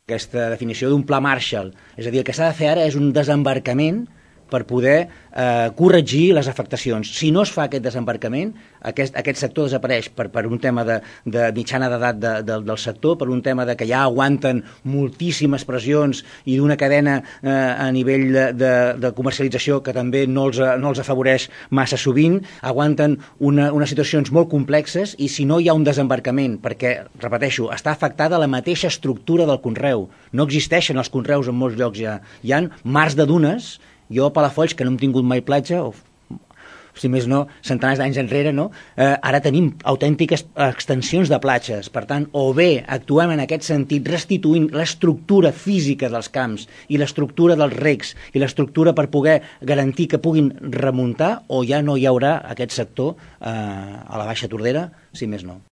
aquesta definició d'un pla Marshall. És a dir, el que s'ha de fer ara és un desembarcament per poder corregir les afectacions. Si no es fa aquest desembarcament, aquest sector desapareix per un tema de mitjana d'edat del sector, per un tema de que ja aguanten moltíssimes pressions i d'una cadena a nivell de comercialització que també no els afavoreix massa sovint, aguanten unes situacions molt complexes i si no hi ha un desembarcament, perquè, repeteixo, està afectada la mateixa estructura del conreu. No existeixen els conreus en molts llocs ja. Hi ha mars de dunes. Jo a Palafolls, que no hem tingut mai platja, o si més no, centenars d'anys enrere, no? Ara tenim autèntiques extensions de platges. Per tant, o bé actuem en aquest sentit restituint l'estructura física dels camps i l'estructura dels recs i l'estructura per poder garantir que puguin remuntar, o ja no hi haurà aquest sector a la Baixa Tordera, si més no.